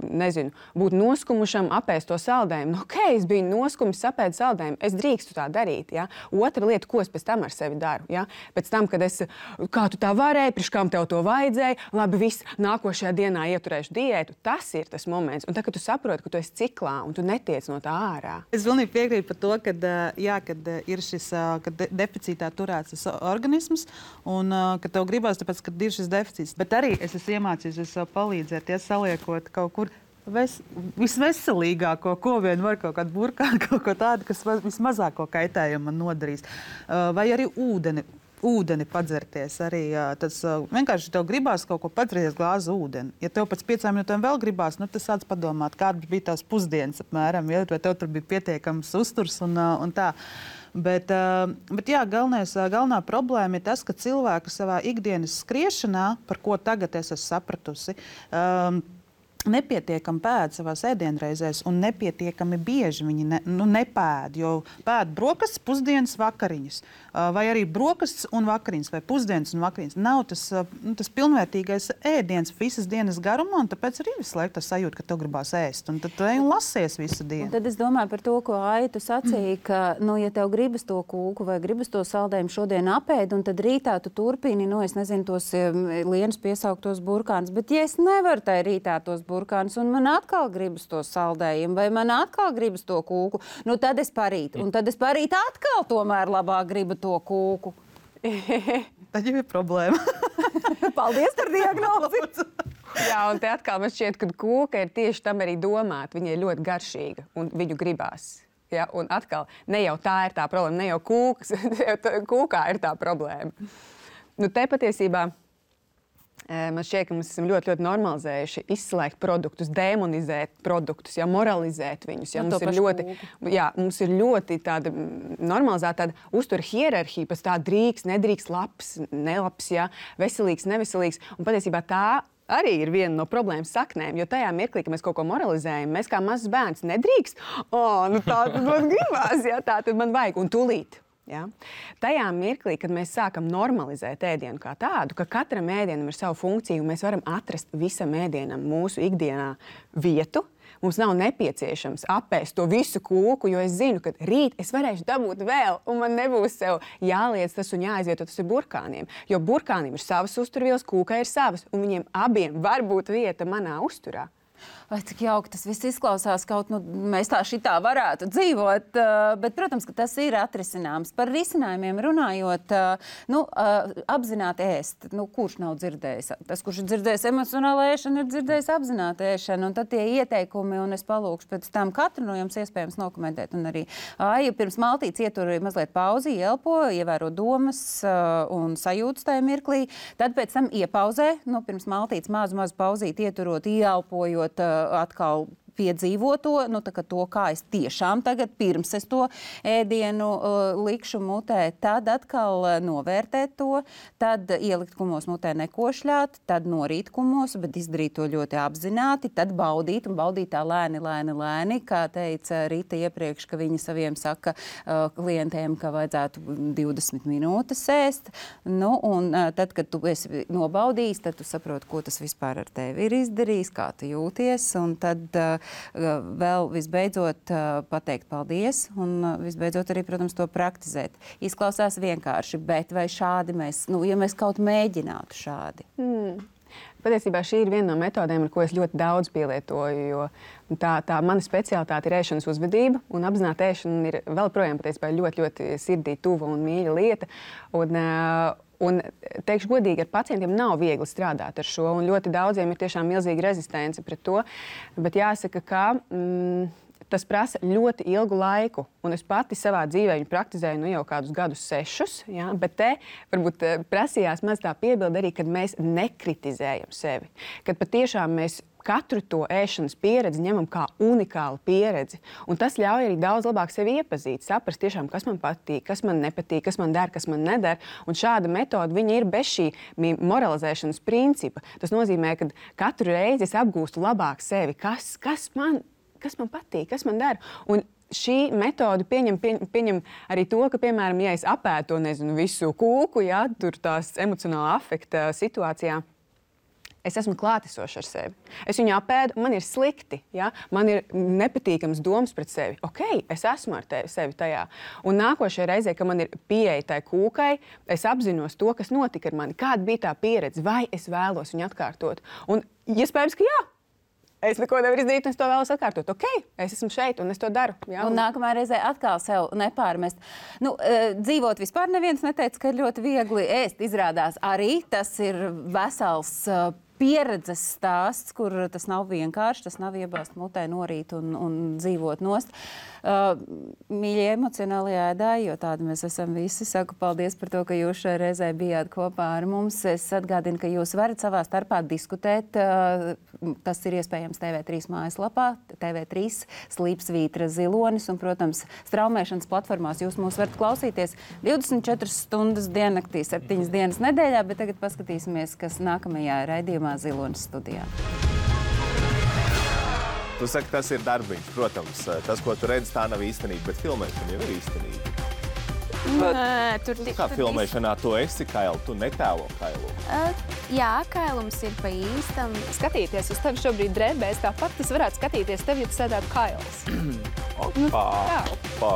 noskumušam, apēst to saldējumu. Ok, es biju noskumis, apēdu saldējumu, es drīkstu tā darīt. Ja. Otra lieta, ko es pēc tam ar sevi daru. Ja. Pēc tam, kad kā tu tā varēji, priekš kam tev to vajadzēja, labi, viss, nākošajā dienā ieturēšu diētu, tas ir tas moments. Un tad, kad tu saproti, ka tu esi ciklā un tu netiec no tā ārā. Es pilnīgi piekrītu par to, kad ir šis deficītā turēts organisms un ka tev gribās, tāpēc, ka ir šis deficīts. Bet arī es esmu iemācījusies sev palīdzēt, ja saliekot kaut kur visveselīgāko, ko vien var, kaut kādu burkānu, kaut ko tādu, kas vismazāko kaitējumu man nodarīs. Vai arī ūdeni padzerties. Arī tas vienkārši tev gribās kaut ko padzerties glāzi ūdeni. Ja tev pēc 5 minūtēm vēl gribās, tas sāc padomāt, kādas bija tās pusdienas apmēram, ja, vai tev tur bija pietiekams uzturs un tā. Bet jā, galvenā problēma ir tas, ka cilvēki savā ikdienas skriešanā, par ko tagad es esmu sapratusi, nepietiekami pēd savās ēdienreizēs un nepietiekami bieži viņi nepēd, jo pēd brokastis, pusdienas, vakariņas, vai arī brokastis un vakariņas, vai pusdienas un vakariņas. Nav tas pilnvērtīgais ēdiens visas dienas garumā, un tāpēc arī visu laiku tas sajūta, ka tev gribās ēst, un tad tu ej un lasies visu dienu. Un tad es domāju par to, ko Aija tu sacīji, ka, ja tev gribas to kūku vai gribas to saldējumu šodien apēd, un tad rītā tu turpini, es nezinu, tos Lienas piesauktos burkānus, bet ja es nevaru tai rītā tos burkānus, un man atkal gribas to saldējumu, vai man atkal gribas to kūku, tad es parīt. Un tad es parīt atkal tomēr labāk gribu to kūku. Tad jau ir problēma. Paldies par diagnozi! Jā, un te atkal man šķiet, ka kūka ir tieši tam arī domāta. Viņa ir ļoti garšīga, un viņu gribās. Ja? Un atkal, ne jau tā ir tā problēma, ne jau kūkā ir tā problēma. Te patiesībā Man šķiet, ka mēs esam ļoti, ļoti normalizējuši izslēgt produktus, demonizēt produktus, moralizēt viņus. Mums ir ļoti tāda normalizēta tāda uztura hierarhija, pēc tā drīkst, nedrīkst, labs, nelabs, veselīgs, neveselīgs. Un patiesībā tā arī ir viena no problēmas saknēm, jo tajā mirklī, kad mēs kaut ko moralizējam, mēs kā mazs bērns nedrīkst, tā tad man gribās, tā tad man vajag, un tūlīt. Ja? Tajā mirklī, kad mēs sākam normalizēt ēdienu kā tādu, ka katram ēdienam ir savu funkciju, mēs varam atrast visam ēdienam mūsu ikdienā vietu, mums nav nepieciešams apēst to visu kūku, jo es zinu, ka rīt es varēšu dabūt vēl, un man nebūs sev jāliec tas un jāizvieto tas ar burkāniem. Jo burkāniem ir savas uzturvielas, kūkai ir savas, un viņiem abiem var būt vieta manā uzturā. Vai cik jauki tas viss izklausās, kaut mēs tā šitā varētu dzīvot, bet, protams, ka tas ir atrisināms. Par risinājumiem runājot, apzināti ēst. Kurš nav dzirdējis? Tas, kurš ir dzirdējis emocionālu ēšanu, ir dzirdējis apzināti ēšanu, un tad tie ieteikumi, un es palūkšu pēc tam katru no jums iespējams nokomentēt, un arī Aija pirms maltītes ietur mazliet pauzi, ielpo, ievēro domas un sajūtas tajā mirklī, tad pēc tam iepauzē, pirms maltītes mazu pauzīt, ieturot, ielpojot, atkal piedzīvot to, kā es tiešām tagad pirms es to ēdienu likšu mutē, tad atkal novērtēt to, tad ielikt kumos mutē nekošļāt, tad norīt kumos, bet izdarīt to ļoti apzināti, tad baudīt tā lēni, kā teica Rita iepriekš, ka viņa saviem saka klientiem, ka vajadzētu 20 minūtes ēst. Un tad, kad tu esi nobaudījis, tad tu saproti, ko tas vispār ar tevi ir izdarījis, kā tu jūties, un tad vēl visbeidzot pateikt paldies un visbeidzot arī, protams, to praktizēt. Izklausās vienkārši, bet vai šādi mēs, ja mēs kaut mēģinātu šādi? Patiesībā šī ir viena no metodēm, ar ko es ļoti daudz pielietoju, jo tā mana specialitāte ir ēšanas uzvedība, un apzināta ēšana ir vēl projām patiesībā ļoti, ļoti sirdī tuva un mīļa lieta. Un teikšu godīgi, ar pacientiem nav viegli strādāt ar šo, un ļoti daudziem ir tiešām milzīga rezistence pret to, bet jāsaka, ka tas prasa ļoti ilgu laiku, un es pati savā dzīvē viņu praktizēju jau kādus gadus 6, bet te varbūt prasījās maz tā piebilde arī, kad mēs nekritizējam sevi, kad patiešām mēs katru to ēšanas pieredzi ņemam kā unikālu pieredzi. Un tas ļauj arī daudz labāk sevi iepazīt, saprast tiešām, kas man patīk, kas man nepatīk, kas man der, kas man neder. Un šāda metode viņa ir bez šī moralizēšanas principa. Tas nozīmē, ka katru reizi es apgūstu labāk sevi, kas man patīk, kas man der. Un šī metode pieņem arī to, ka, piemēram, ja es apētu to, visu kūku, tur tās emocionāla afekta situācijā, es esmu klātesošs ar sevi. Es viņu apēdu, man ir slikti, man ir nepatīkams domas pret sevi. Ok, es esmu ar sevi tajā. Un nākošajā reizē, kad man ir pieeja tai kūkai, es apzinos to, kas notika ar mani, kāda bija tā pieredze, vai es vēlos viņu atkārtot. Un iespējams, ka jā. Es neko nevaru izdarīt, un es to vēlos atkārtot. Ok, es esmu šeit, un es to daru. Jā, un nākamā reizē atkal sev nepārmest. Dzīvot vispār neviens neteica, ka ir ļoti viegli ēst. Izrādās arī tas ir vesels pieredzes stāsts, kur tas nav vienkārši, tas nav iebāzt mutē norīt un dzīvot nost. Mīļie emocionālie ēdāji, jo tādi mēs esam visi. Saku paldies par to, ka jūs šajā reizē bijāt kopā ar mums. Es atgādinu, ka jūs varat savā starpā diskutēt. Tas ir iespējams TV3 mājaslapā, TV3 Slīpsvītra Zilonis un, protams, straumēšanas platformās jūs mūs varat klausīties 24 stundas diennaktī, 7 dienas nedēļā, bet tagad paskatīsimies, kas nākamajā raidījumā Zilonis studijā. Tu saki, tas ir darbiņš, protams. Tas, ko tu redzi, tā nav īstenība, bet filmēšana jau ir īstenība. Kā filmēšanā tu esi Kailu? Tu netēlo Kailu? Jā, Kailums ir pa īstam. Skatīties uz tevi šobrīd drēbēs, tāpat tas varētu skatīties tevi, ja tu sēdētu Kails. Opa!